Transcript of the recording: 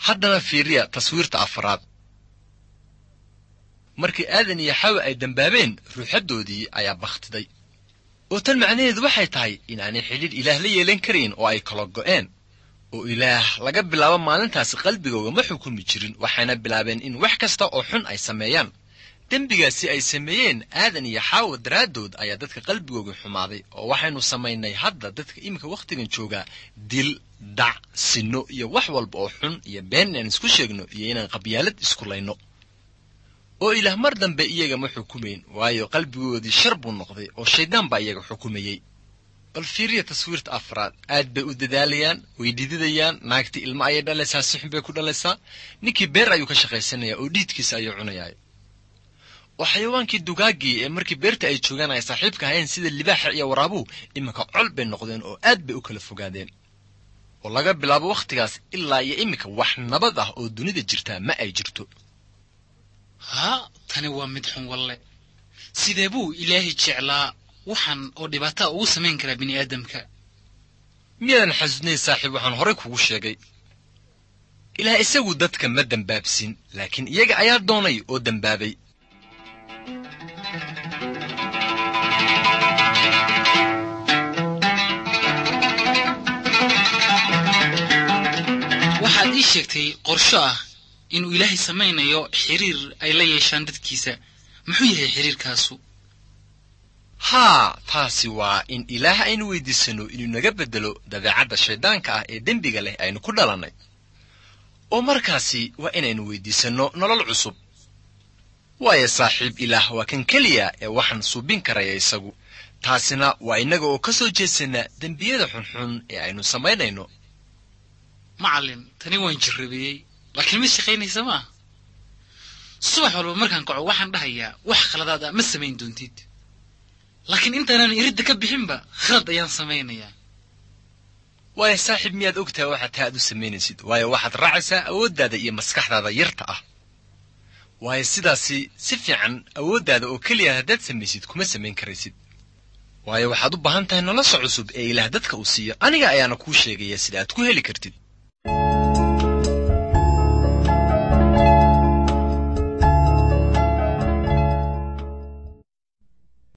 Haddana fiiriya taswiirta afraad. Markii Aadan iyo Xawa ay dembaabeen, ruuxaddoodii ayaa bakhtiday. Oo tan macnaheedu waxay tahay in aanay xidhiidh Ilaah la yeelan karayn oo ay kala go'een. Oo Ilaah laga bilaabo maalintaasi qalbigooga ma xukumi jirin, waxayna bilaabeen in wax kasta oo xun ay sameeyaan. Dembigaasi ay sameeyeen Aadan iyo Xaawa daraaddood ayaa dadka qalbigooga xumaaday, oo waxaynu samaynay hadda dadka iminka wakhtigan joogaa dil, dhac, sinno iyo wax walba oo xun iyo been inaan isku sheegno iyo inaan qabyaalad isku layno. Oo Ilaah mar dambe iyaga ma xukumayn, waayo qalbigoodii shar buu noqday oo shayddaan baa iyaga xukumayey. Bal fiiriya taswiirta afraad. Aad bay u dadaalayaan, way dhididayaan, naagtii ilmo ayay dhalaysaa, si xun bay ku dhalaysaa, ninkii beer ayuu ka shaqaysanayaa oo dhiidkiisa ayuu cunayaa. Oo xayawaankii dugaaggii ee markii beerta ay joogaan ay saaxiibka ahayn sida libaaxa iyo waraabuhu iminka col bay noqdeen oo aad bay u kala fogaadeen. Oo laga bilaabo wakhtigaas ilaa iyo iminka wax nabad ah oo dunida jirtaa ma ay jirto. Haa, tani waa mid xun walle. Sidee buu Ilaahay jeclaa waxaan oo dhibaataa ugu samayn karaa bini'aadamka? Miyaadan xasuusnayn saaxiib waxaan horay kugu sheegay? Ilaah isagu dadka ma dembaabsin, laakiin iyaga ayaa doonay oo dembaabay. Waxaad ii sheegtay qorsho ah inuu Ilaahay samaynayo xiriir ay la yeeshaan dadkiisa. Muxuu yahay xiriirkaasu? Haa, taasi waa in Ilaah aynu weydiisano inuu naga beddelo dabeecadda shayddaanka ah ee dembiga leh aynu ku dhalannay. Oo markaasi waa inaynu weydiisanno nolol cusub. Waayo saaxiib, Ilaah waa kan keliya ee waxaan suubin karaya isagu. Taasina waa innaga oo ka soo jeedsana dembiyada xunxun ee aynu samaynayno. Macallin, tani waan jirrabeeyey, laakiin mid shaqaynaysa maaha. Subax walba markaan kaco waxaan dhahayaa wax khaladaad ah ma samayn doontid. Laakiin intaanaan iridda ka bixinba khalad ayaan samaynayaa. Waayo saaxiib, miyaad ogtahay waxaad taa aad u samaynaysid? Waayo waxaad raacaysaa awooddaada iyo maskaxdaada yarta ah. Waayo sidaasi si fiican awooddaada oo keliya haddaad samaysid kuma samayn karaysid. Waayo waxaad u baahan tahay nolosha cusub ee Ilaah dadka uu siiyo. Aniga ayaana kuu sheegaya sida aad ku heli kartid.